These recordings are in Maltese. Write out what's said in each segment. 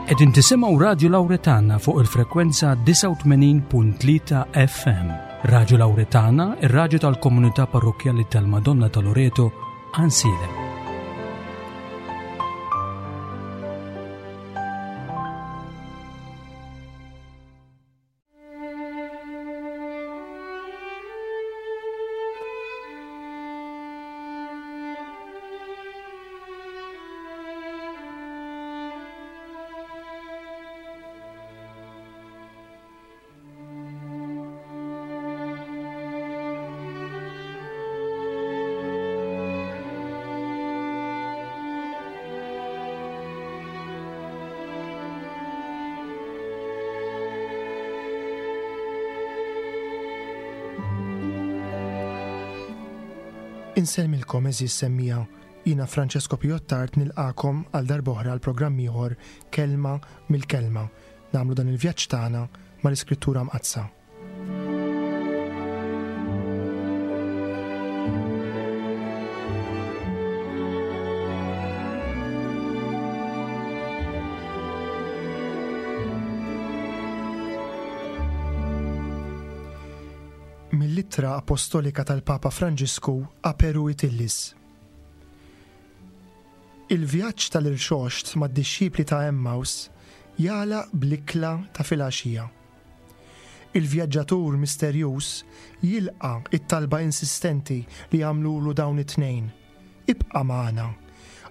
Qegħdin tisimgħu Radju Lawretana fuq il-frekwenza 89.3 FM. Radju Lawretana, ir-radju tal-komunità parrokkjali tal-Madonna ta' Loreto, Ansiedem. Insellmilkom għeżież semmiegħa, jiena Francesco Piottard nilqagħkom għal darb'oħra għal programm ieħor Kelma mill-Kelma. Nagħmlu dan il-vjaġġ tagħna mal-Iskrittura Mqaddsa. Mill-Ittra Apostolika tal-Papa Franġisku Aperuit Illis. Il-vjaġġ tal-Irxoxt mad-dixxipli ta' Emmaus jagħlaq bl-ikla ta' filgħaxija. Il-vjaġġatur misterjuż jilqa' t-talba insistenti li għamlulu dawn it-tnejn, Ibqa' magħna,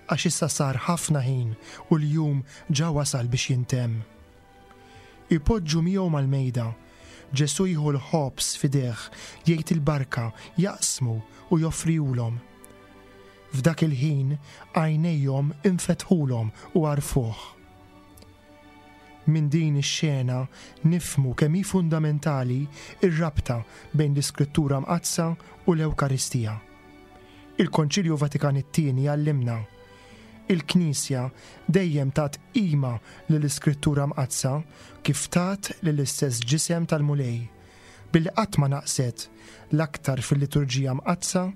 għax issa sar ħafna ħin u l-jum ġa wasal biex jintemm. Ipoġġu miegħu mal-mejda. Ġesù jieħu l-ħobż f'idejh, jgħid il-barka, jaqsmu u joffrihulhom. F'dak il-ħin għajnejhom infetħulhom u għarfuh. Minn din ix-xena nifhmu kemm hi fundamentali r-rabta bejn l-Iskrittura Mqaddsa u l-Ewkaristija. Il-Konċilju Vatikan it-Tieni għallimna, Il-Knisja dejjem tat qima lill-Iskrittura Mqaddsa kif tat lill-istess ġisem tal-Mulej, billi qatt ma naqset, l-aktar fil-Liturġija Mqaddsa,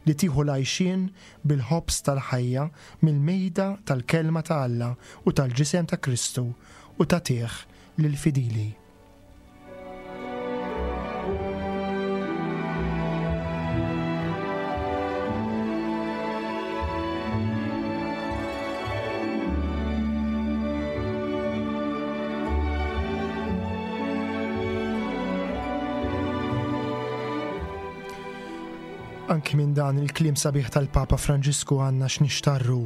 li tieħu l-għajxien bil-ħobż tal-ħajja mill-mejda tal-Kelma ta' Alla u tal-Ġisem ta' Kristu u tagħtih lill-fidili. Anki minn dan il-kliem sabiħ tal-Papa Franġisku għandna x'nixtarru.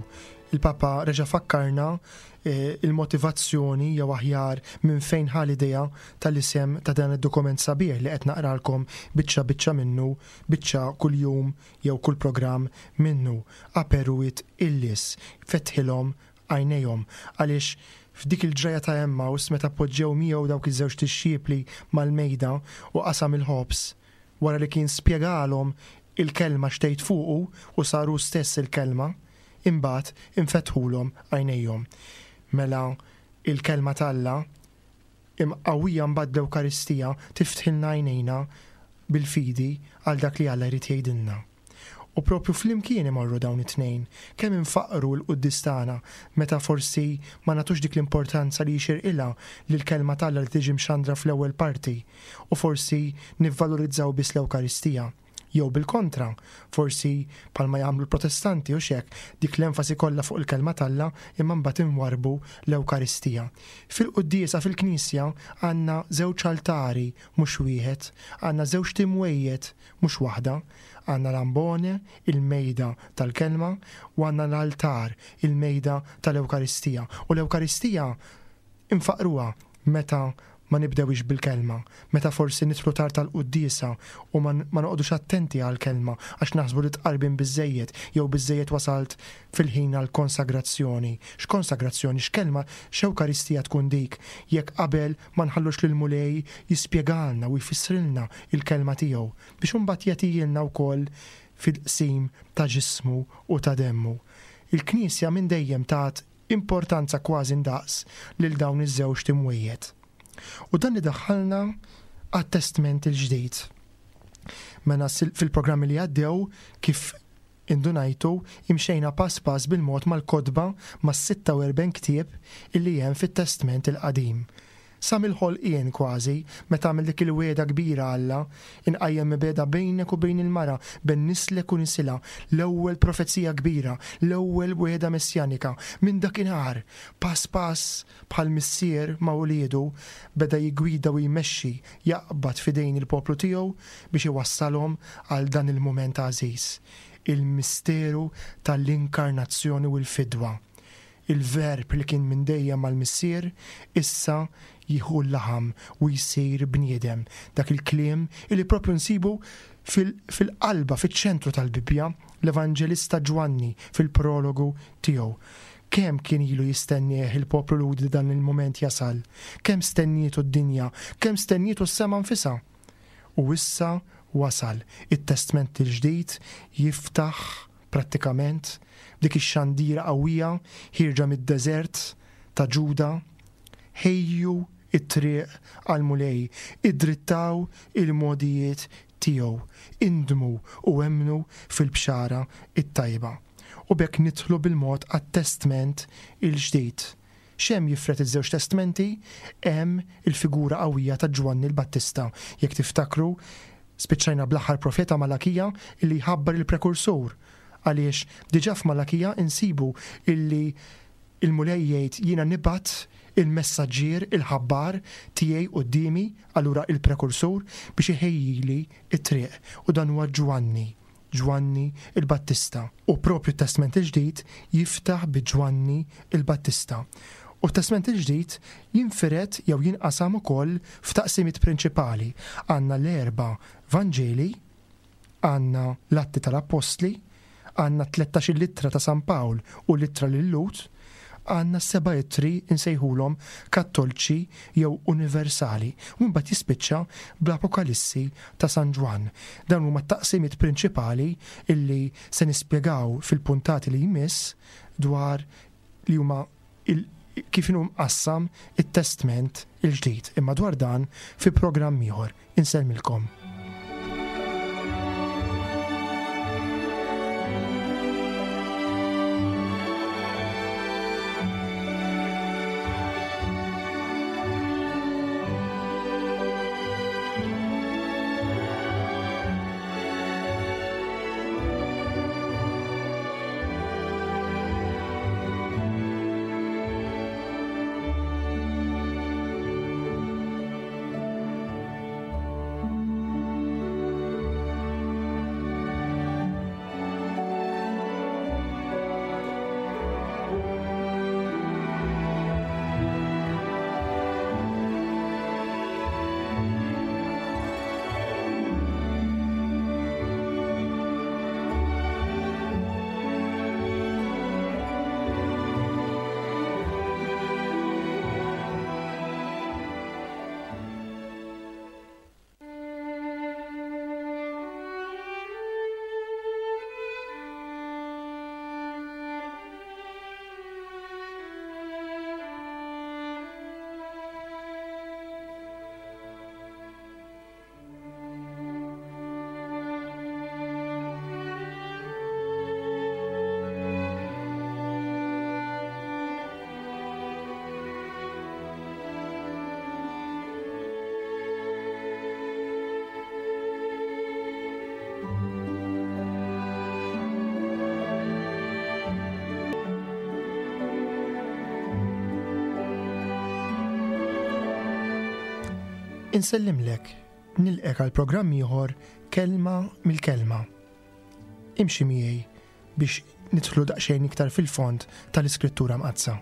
Il-Papa reġa' fakkarna eh, il-motivazzjoni jew aħjar minn fejn ħa l-idea tal-isem ta' dan id-dokument sabiħ li qed naqralkom biċċa biċċa minnu, biċċa kuljum jew kull programm minnu. Aperuit illis, fetħilhom għajnejhom, għaliex f'dik il-ġrajja ta' Emmaus meta poġġew miegħu dawk iż-żewġt dixxipli mal-mejda u qasam il-ħobż, wara li kien spjegalhom il-Kelma x'tgħid fuqu u sar hu stess il-Kelma, imbagħad infetħulhom għajnejhom. Mela il-Kelma t'Alla, imqawwija mbagħad bl-Ewkaristija, tiftħilna għajnejna bil-fidi għal dak li Alla jrid jgħidilna. U propju flimkien imorru dawn it-tnejn. Kemm infaqqru l-quddies tagħna meta forsi ma nagħtux dik l-importanza li jixirqilha lill-Kelma t'Alla li tiġi mxandra fl-ewwel parti u forsi nivvalorizzaw biss l-Ewkaristija. Jew bil-kontra, forsi bħalma jagħmlu l-Protestanti hux hekk, dik l-enfasi kollha fuq il-Kelma t'Alla imma mbagħad inwarrbu l-Ewkaristija. Fil-quddiesa fil-Knisja għandna żewġ altari mhux wieħed, għandna żewġt imwejjed mhux waħda. Għandna l-ambone, il-mejda tal-Kelma, u għandna l-altar, il-mejda tal-Ewkaristija. U l-Ewkaristija infaqqruha meta ma nibdewhiex bil-Kelma, meta forsi nidħlu tard għall-quddiesa u ma ma noqogħdux attenti għall-Kelma għax naħsbu li tqarbin biżżejjed jew biżżejjed wasalt fil-ħin għall-konsagrazzjoni. X'konsagrazzjoni, x'kelma, x'Ewkaristija tkun dik jekk qabel ma nħallux lill-Mulej jispjegalna u jfissrilna l-Kelma tiegħu biex imbagħad jagħtihielna wkoll fil-qsim ta' ġismu u ta' demmu. Il-Knisja minn dejjem tat importanza kważi ndaqs lil dawn iż-żewġt imwejjed. U dan idaħħalna għat-Testment il-Ġdid. Mela fil-programmi li għaddew kif. indunajtu, imxejna pass pass bil-mod mal-kotba mas-46 ktieb illi hemm fit-Testment il-Qadim. Sa mill-ħolqien kważi, meta għamel dik il-wegħda kbira Alla, Inqajjem mibegħda bejnek u bejn il-mara, bejn nislek u nisilha, l-ewwel profezija kbira, l-ewwel wegħda messjanika. Minn dakinhar, pass pass, bħal missier ma' uliedu, beda jiggwida u jmexxi, jaqbad f'idejn il-poplu tiegħu biex iwassalhom għal dan il-mument għażiż, il-misteru tal-inkarnazzjoni u l-fidwa. Il-Verb li kien minn dejjem mal-Missier, issa jieħu l-laħam u jsir bniedem. Dak il-kliem li proprju nsibu fil-qalba, fiċ-ċentru tal-Bibbja, l-Evanġelista Ġwanni fil-prologu tiegħu. Kemm kien ilu jistennieh il-poplu Lhudi dan il-mument jasal? Kemm stennietu d-dinja? Kemm stennietu s-sema nfisha? U issa wasal. It-Testment il-Ġdid jiftaħ Prattikament, b'dik ix-xandira qawwija ħierġa mid-deżert ta' Ġuda, Ħejju t-triq għall-Mulej, iddrittaw il-mogħdijiet tiegħu, indmu u emmnu fil-Bxara t-Tajba. U b'hekk nidħlu bil-mod għat-Testment il-Ġdid. X'hemm jifred iż-żewġ testmenti? Hemm il-figura qawwija ta' Ġwanni l-Battista. Jekk tiftakru, spiċċajna bl-aħħar profeta Malakija illi jħabbar il-prekursur. Għaliex diġà f'Malakija insibu illi il-Mulej jgħid jiena nibgħat il-messaġġier, il-ħabbar tiegħi quddiemi, allura il-prekursur, biex iħejjili t-triq. U dan huwa Ġwanni. Ġwanni l-Battista. U proprju t-Testment il-Ġdid jiftaħ bi Ġwanni l-Battista. U t-Testment il-Ġdid jinfired jew jinqasam ukoll f'taqsimiet prinċipali. Għandna l-erba' Vanġeli, għandna l-Atti tal-Appostli, għandna t-tlettax-il ittra ta' San Pawl u l-ittra lil-Lhud, Għandna s-seba' ittri nsejħulhom kattolċi jew universali u imbagħad jispiċċa bl-Apokalissi ta' San Ġwann. Dawn huma t-taqsimiet prinċipali illi se nispjegaw fil-puntati li jmiss dwar li huma kif inhu mqassam it-Testment il-Ġdid. Imma dwar dan fi programm ieħor. Insellmilkom. Insellimlek, nilqek għal programm ieħor Kelma mill-Kelma. Imxi miegħi biex nidħlu daqsxejn iktar fil-fond tal-Iskrittura Mqaddsa.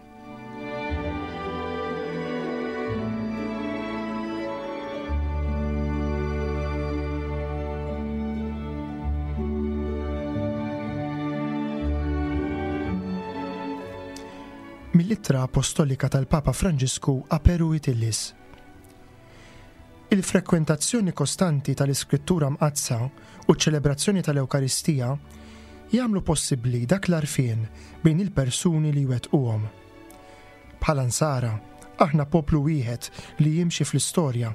Mill-Ittra Apostolika tal-Papa Franġisku a Peruit Illis. Il-frekwentazzjoni kostanti tal-Iskrittura Mqaddsa u ċ-ċelebrazzjoni tal-Ewkaristija jagħmlu possibbli dak l-għarfien bejn il-persuni li jwettquhom. Bħala Nsara, aħna poplu wieħed li jimxi fl-istorja,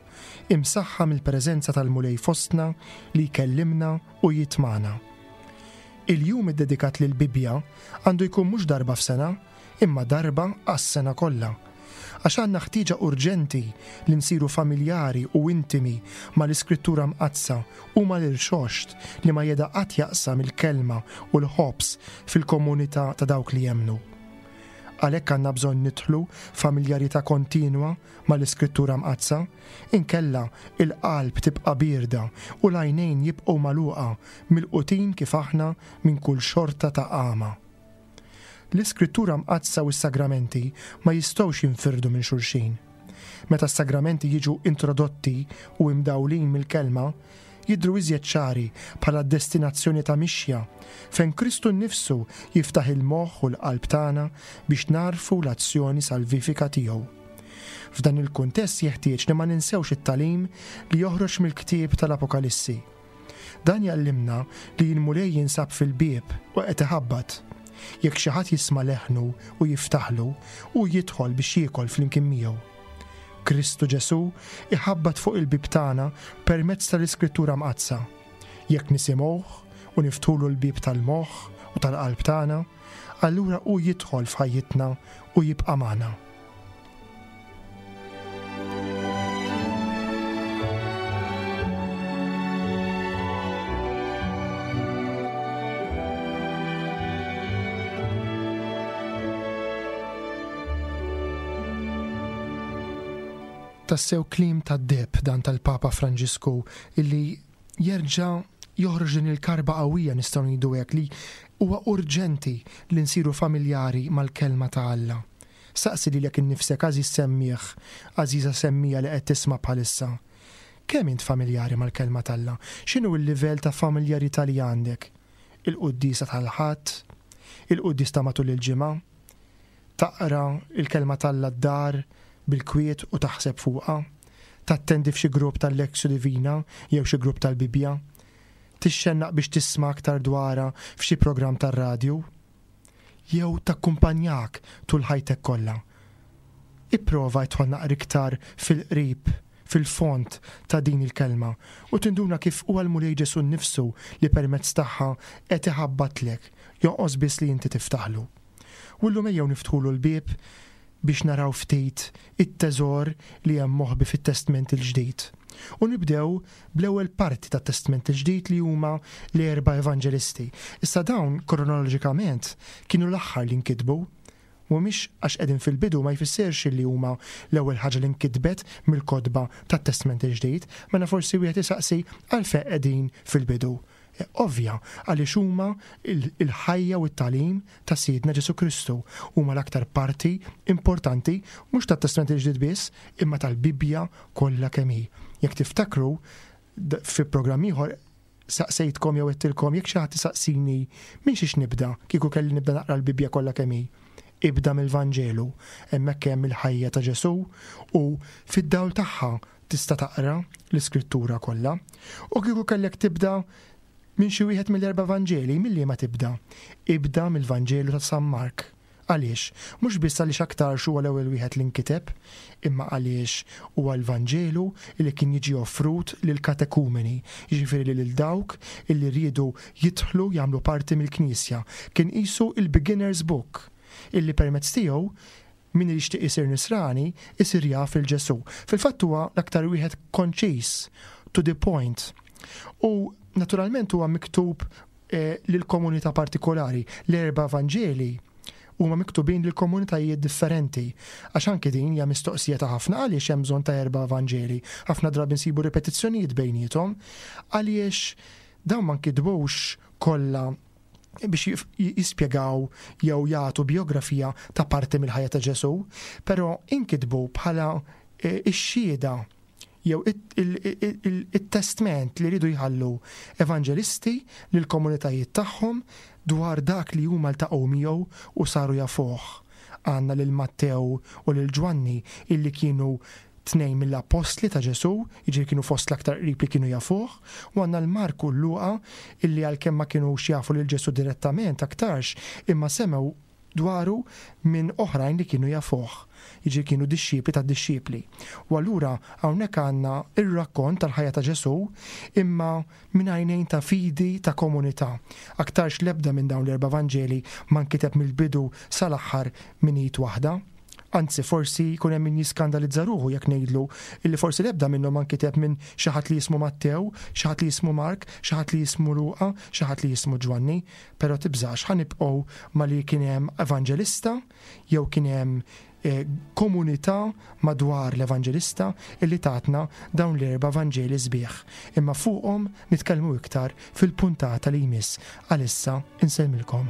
imsaħħa mill-preżenza tal-Mulej fostna li jkellimna u jitmagħna. Il-jum iddedikat lill-Bibbja għandu jkun mhux darba f'sena, imma darba għas-sena kollha. Għax għandna ħtieġa urġenti li nsiru familjari u intimi mal-Iskrittura Mqaddsa u mal-Irxoxt li ma jeda qatt jaqsam il-Kelma u l-ħobż fil-komunità ta' dawk li jemmnu. Għalhekk għandna bżonn nidħlu f'familjarità kontinwa mal-Iskrittura Mqaddsa, inkella il-qalb tibqa' bierda u l-għajnejn jibqgħu magħluqa, milqutin kif aħna minn kull xorta ta' għama. L-Iskrittura Mqaddsa u s-sagramenti ma jistgħux jinfirdu minn xulxin. Meta s-sagramenti jiġu introdotti u imdawlin mill-Kelma, jidhru iżjed ċari bħala destinazzjoni ta' mixja fejn Kristu nnifsu jiftaħ il-moħħ u l-qalb tagħna biex nagħrfu l-azzjoni salvifika tiegħu. F'dan il-kuntest jeħtieġ li ma ninsewx it-tagħlim li joħroġ mill-ktieb tal-Apokalissi. Dan jgħallimna li l-Mulej jinsab fil-bieb u qed iħabbat. Jekk xi ħadd jisma' leħnu u jiftaħlu, hu jidħol biex jiekol flimkien miegħu. Kristu Ġesù iħabbat fuq il-bieb tagħna permezz tal-Iskrittura Mqaddsa. Jekk nisimgħuh u niftħulu l-bieb tal-moħħ u tal-qalb tagħna, allura hu jidħol f'ħajjitna u jibqa' magħna. Tassew kliem tad-deheb dan tal-Papa Franġisku illi jerġa' joħroġ din il-karba qawwija nistgħu ngħidu hekk li huwa urġenti li nsiru familjari mal-Kelma ta' Alla. Saqsi lilek innifsek għażiż semmiegħ, għażiża semmiegħa li qed tisma' bħalissa. Kemm int familjari mal-Kelma t'Alla? X'inhu l-livell ta' familjarità li għandek? Il-quddiesa tal-Ħadd? Il-quddies ta' matul il-ġimgħa? Taqra l-Kelma t'Alla d-dar bil-kwiet u taħseb fuqha? Tattendi f'xi grupp tal-Lectio Divina jew xi grupp tal-Bibbja? Tixxennaq biex tisma' aktar dwarha f'xi programm tar-radju? jew takkumpanjak tul ħajtek kollha. Ipprova idħol naqra iktar fil-qrib, fil-fond ta' din il-kelma u tinduna kif huwa l-Mulej Ġesù nnifsu li permezz tagħha qed iħabbatlek, jonqos biss li inti tiftaħlu. U llum ejjew niftħulu l-bieb biex naraw ftit it-teżor li hemm moħbi fit-Testment il-Ġdid. U nibdew bl-ewwel parti tat-Testment il-Ġdid li huma l-erba' Evanġelisti. Issa dawn kronoloġikament kienu l-aħħar li nkitbu. Mhumiex għax qegħdin fil-bidu ma jfissirx li huma l-ewwel ħaġa li nkitbet mill-kotba tat-Testment il-Ġdid. Mela forsi wieħed isaqsi għalfejn qegħdin fil-bidu. Ovvja, għaliex huma l-ħajja u t-tagħlim ta' Sidna Ġesù Kristu. Huma l-aktar parti importanti mhux tat-Testment il-Ġdid biss, imma tal-Bibbja kollha kemm hi. Jekk tiftakru, fi programm ieħor saqsejtkom jew għedtilkom jekk xi ħadd isaqsini minn xiex nibda kieku kelli nibda naqra l-Bibbja kollha kemm hi. Ibda mill-Vanġelu, hemmhekk hemm il-ħajja ta' Ġesù u fid-dawl tagħha tista' taqra l-Iskrittura kollha. U kieku kellek tibda minn xi wieħed mill-erba' Vanġeli, minn liema tibda? Ibda mill-Vanġelu ta' San Mark. Għaliex? Mhux biss għaliex aktarx huwa l-ewwel wieħed li nkiteb, imma għaliex huwa l-Vanġelu li kien jiġi offrut lill-katekumeni, jiġifieri lil dawk illi riedu jidħlu jagħmlu parti mill-Knisja. Kien qisu l-beginner's book, illi permezz tiegħu Min jixtieq isir Nisrani, isir jaf lil Ġesù. Fil-fatt huwa l-aktar wieħed konċiż, to the point. U naturalment huwa miktub eh, lil komunità partikolari. L-erba' Vanġeli huma miktubin lil komunitajiet differenti. Għax anki din hija mistoqsija ta' ħafna għaliex hemm bżonn ta' erba' Vanġeli. Ħafna drabi nsibu ripetizzjonijiet bejniethom għaliex dawn ma nkitbux kollha biex jispjegaw jew jagħtu bijografija ta' parti mill-ħajja ta' Ġesù, però inkitbu bħala e, x-xhieda jew it-testment li rridu jħallu evanġelisti lil komunitajiet tagħhom dwar dak li huma ltaqgħu miegħu u saru jafuh. Għandna lil Mattew u lil Ġwanni illi kienu tnejn mill-appostli ta' Ġesù, jiġifieri kienu fost l-aktar qrib li kienu jafuh, u għandna 'l Mark u 'l Luqa illi għalkemm ma kinux jafu lil Ġesù direttament aktarx, imma semgħu dwaru minn oħrajn li kienu jafuh, jiġifieri kienu dixxipli tad-dixxipli. U allura hawnhekk għandna r-rakkont tal-ħajja ta' Ġesù imma minn għajnejn ta' fidi ta' komunità. Aktarx l-ebda minn dawn l-erba' Vanġeli ma nkiteb mill-bidu sal-aħħar minn id waħda. Anzi, forsi jkun hemm min jiskandalizza ruħu jekk ngħidlu illi forsi l-ebda minnhom ma nkiteb minn xi ħadd li jismu Mattew, xi ħadd li jismu Mark, xi ħadd li jismu Luqa, xi ħadd li jismu Ġwanni. Però tibżax, ħa nibqgħu ma' li kien hemm evanġelista jew kien hemm komunità madwar l-evanġelista illi tatna dawn l-erba' Vanġeli sbieħ. Imma fuqhom nitkellmu iktar fil-puntata li jmiss. Għalissa insellmilkom.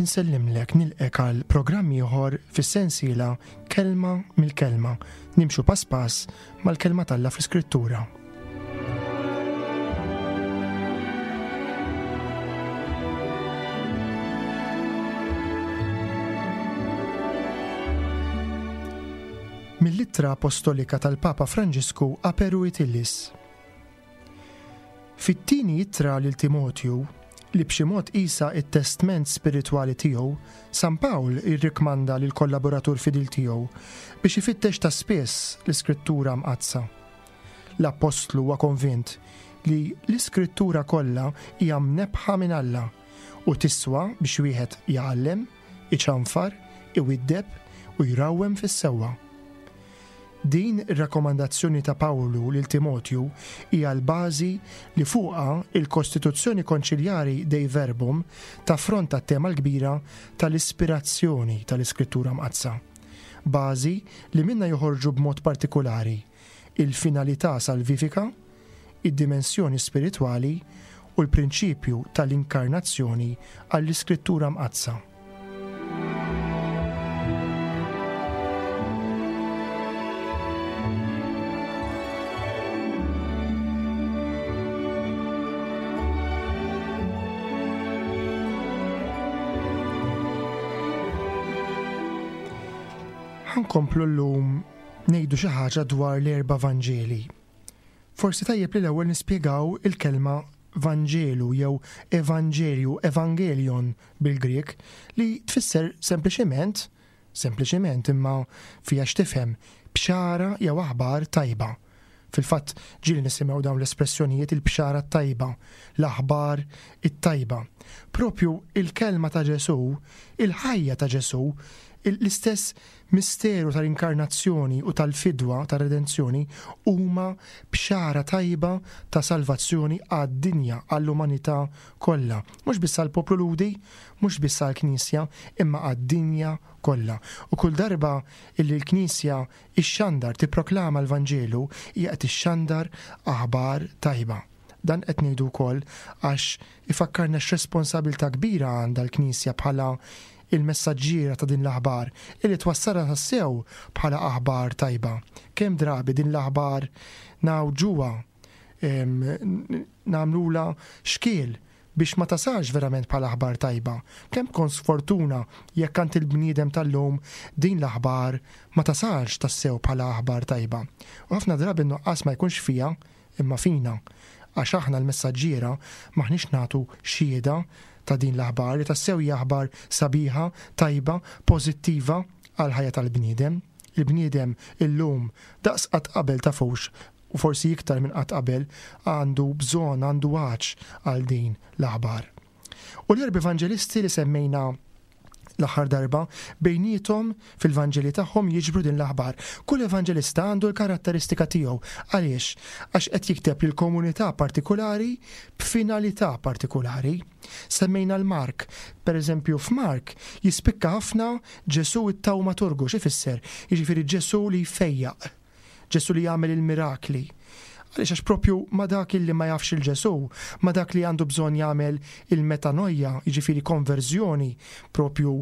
Insellimlek nilqek għal programm ieħor fis-sensiela Kelma mill-Kelma, nimxu pass pass mal-Kelma t'Alla fl-Iskrittura. Mill-Ittra Apostolika tal-Papa Franġisku Aperuit Illis. Fit-tieni ittra lil Timotju, li b'xi mod qisha t-testment spiritwali tiegħu, San Pawl jirrikmanda lill-kollaboratur fidil tiegħu biex ifittex ta' spiss l-Iskrittura Mqaddsa. L-appostlu huwa konvint li l-Iskrittura kollha hija mnebbħa minn Alla u tiswa biex wieħed jgħallem, iċanfar, iwiddeb u jrawwem fis-sewwa. Din ir-rakkomandazzjoni ta' Pawlu lil Timotju hija l-bażi li fuqha l-Kostituzzjoni Konċiljari Dei Verbum taffronta t-tema l-kbira tal-ispirazzjoni tal-Iskrittura Mqaddsa, bażi li minnha joħorġu b'mod partikulari il-finalità salvifika, id-dimensjoni spiritwali u l-prinċipju tal-inkarnazzjoni għall-Iskrittura Mqaddsa. Ħa nkomplu llum ngħidu xi ħaġa dwar l-erba' Vanġeli. Forsi tajjeb li l-ewwel nispjegaw il-kelma Vanġelu jew Evanġelju, Evangelion bil-Grieg, li tfisser sempliċement, sempliċement imma fiha x'tifhem, bxara jew aħbar tajba. Fil-fatt ġieli nisimgħu dawn l-espressjonijiet il-bxara t-tajba, l-aħbar it-tajba. Propju il-kelma ta' Ġesù, il-ħajja ta' Ġesù, l-istess misteru tal-inkarnazzjoni u tal-fidwa tar-redenzjoni huma bxara tajba ta' salvazzjoni għad-dinja, għall-umanità kollha. Mhux biss għall-poplu Lhudi, mhux biss għall-Knisja, imma għad-dinja kollha. U kull darba illi l-Knisja ixxandar, tipproklama l-Vanġelu, hija qed ixxandar aħbar tajba. Dan qed ngħidu wkoll għax ifakkarna x'responsabilità kbira għandha l-Knisja bħala il-messaġġiera ta' din l-aħbar, illi twassalha tassew bħala aħbar tajba. Kemm drabi din l-aħbar ngħawġuha, nagħmlulha xkiel biex ma tasalx verament bħala aħbar tajba. Kemm tkun sfortuna jekk għand il-bniedem tal-lum din l-aħbar ma tasalx tassew bħala aħbar tajba. U ħafna drabi n-nuqqas ma jkunx fiha imma fina, għax aħna l-messaġġiera m'aħniex nagħtu xhieda ta' din l-aħbar li tassew hija aħbar sabiħa, tajba, pożittiva għall-ħajja tal-bniedem. Il-bniedem illum daqs qatt qabel tafux u forsi iktar minn qatt qabel, għandu bżonn, għandu għatx għal din l-aħbar. U l-erba' evanġelisti li semmejna l-aħħar darba, bejniethom fil-Vanġeli tagħhom jiġbru din l-aħbar. Kull evanġelista għandu l-karatteristika tiegħu. Għaliex? Għax qed jikteb lil komunità partikulari b'finalità partikulari. Semmejna l-Mark. Per eżempju, f'Mark jispikka ħafna Ġesù it-tawmaturgu, x'ifisser? Jiġifieri Ġesù li jfejjaq. Ġesù li jagħmel il-mirakli. Għaliex għax propju ma' dak illi ma jafx il Ġesù, ma' dak li għandu bżonn jagħmel il-metanoia, jiġifieri konverżjoni, propju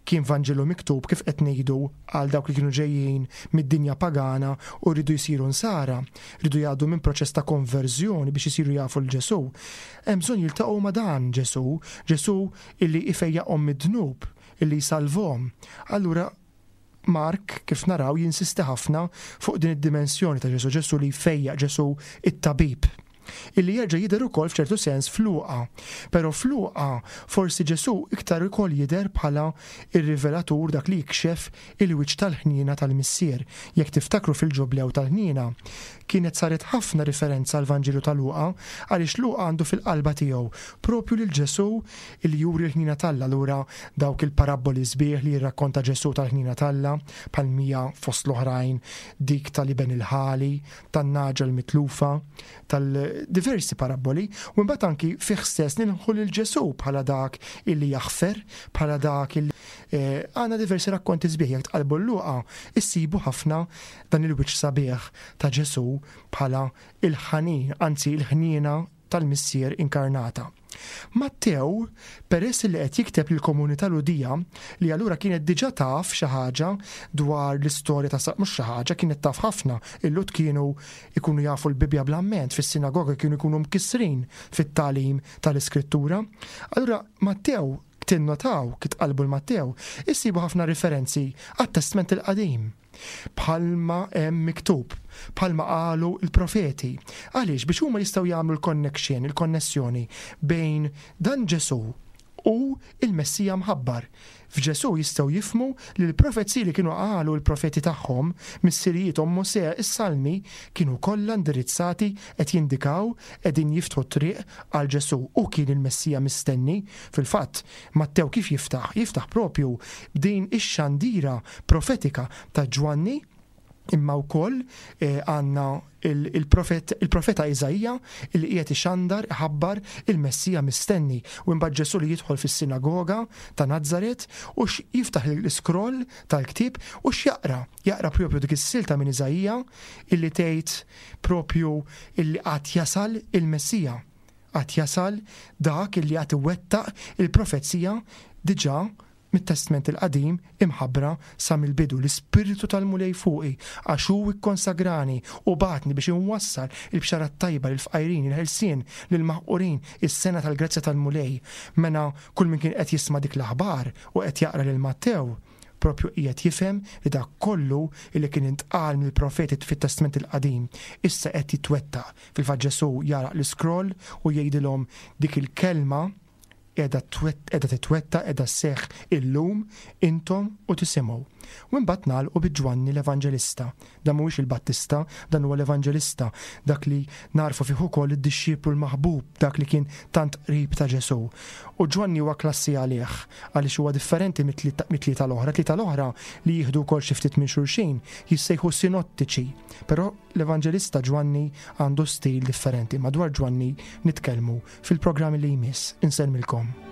kien Vanġelu miktub kif qed ngħidu għal dawk li kienu ġejjin mid-dinja pagana u rridu jsiru nsara, rridu jgħaddu minn proċess ta' konverżjoni biex isiru jafu l Ġesù. Hemm bżonn jiltaqgħu ma' dan Ġesù, Ġesù illi ifejjaqhom mid-dnub, illi jsalvhom. Allura Mark, kif naraw, jinsisti ħafna fuq din id-dimensjoni ta' Ġesù, Ġesù li jfejjaq, Ġesù it-tabib. Illi jerġa' jidher ukoll f'ċertu sens f'Luqa. Però f'Luqa forsi Ġesù iktar ukoll jidher bħala r-rivelatur dak li jikxef il-wiċċ tal-ħniena tal-Missier. Jekk tiftakru fil-Ġublew tal-Ħniena, kienet saret ħafna riferenza għall-Vanġelu ta' Luqa għaliex Luqa għandu fil-qalba tiegħu propju lil Ġesù li juri l-ħniena t'Alla allura dawk il-parabboli sbieħ li jirrakkonta Ġesù tal-ħniena t'Alla bħal mija fost l-oħrajn dik tal-iben il-ħali, tan-nagħġa l-mitlufa, tal-diversi parabboli u imbagħad anki fih stess nilħu lil Ġesù bħala dak illi jaħfer, bħala dak illi eh, għandna diversi rakkonti sbieħ jekk tqalbu l-Luqa issibu ħafna dan il-wiċċ sabiħ ta' Ġesù bħala il-ħanin, anzi il-ħniena tal-Missier inkarnata. Mattew, peress li qed jikteb lill-komunità Lhudija, li allura kienet diġà taf xi ħaġa dwar l-istorja ta' mhux xi ħaġa, kienet taf ħafna, il-Lhud kienu jkunu jafu l-Bibbja bl-amment, fis-sinagoga kienu jkunu mkissrin fit-tagħlim tal-Iskrittura. Allura Mattew, tinnotaw, kif tqallbu l-Mattew, issibu ħafna riferenzi għat-Testment il-Qadim. Bħalma hemm miktub, bħalma qalu l-profeti. Għaliex? Biex huma jistgħu jagħmlu l-connection, il-konnessjoni bejn dan Ġesù u l-Messija mħabbar. F'Ġesù jistgħu jifhmu li l-profeziji li kienu qalu l-profeti tagħhom, missirijiethom, Mosè, is-Salmi, kienu kollha indirizzati qed jindikaw, qegħdin jiftħu t-triq għal Ġesù. Hu kien il-Messija mistenni. Fil-fatt, Mattew kif jiftaħ? Jiftaħ propju b'din ix-xandira profetika ta' Ġwanni, imma wkoll eh, għandna il-profeta Iżaija li qiegħed ixandar iħabbar il-Messija mistenni u imbagħad Ġesù li jidħol fis-sinagoga ta' Nazaret u jiftaħ l-iskroll tal-ktieb u x'jaqra? Jaqra propju dik is-silta minn Iżaija illi tgħid propju illi qatt jasal il-Messija. Għad jasal dak illi għad iwettaq il-profezija diġà mit-Testment il-Qadim imħabbra sa mill-bidu, L-Ispirtu tal-Mulej fuqi, għax hu kkonsagrani u bagħatni biex inwassal il-bxara t-tajba lill-fqajrin, il-ħelsien lill-maħqurin, is-sena tal-grazzja tal-Mulej. Mela kull min kien qed jisma' dik l-aħbar u qed jaqra lil Mattew, propju qiegħed jifhem li dak kollu li kien intqal mill-profeti fit-Testment il-Qadim issa qed jitwettaq. Fil-fatt Ġesù jagħlaq l-iskroll u jgħidilhom dik il-kelma qiegħda qiegħda titwettaq, qiegħda sseħħ illum intom u tisimgħu. U imbagħad nagħlqu bi Ġwanni l-Evanġelista. Dan mhuwiex il-Battista, dan huwa l-Evanġelista, dak li nagħrfu fih ukoll id-dixxiplu l-maħbub, dak li kien tant qrib ta' Ġesù. U Ġwanni huwa klassi għalih, għaliex huwa differenti mit-tlieta l-oħra. Tlieta l-oħra li jieħdu wkoll xi ftit minn xulxin jissejħu sinottiċi, però l-Evanġelista Ġwanni għandu stil differenti. Madwar Ġwanni nitkellmu fil-programm li jmiss. Insellmilkom.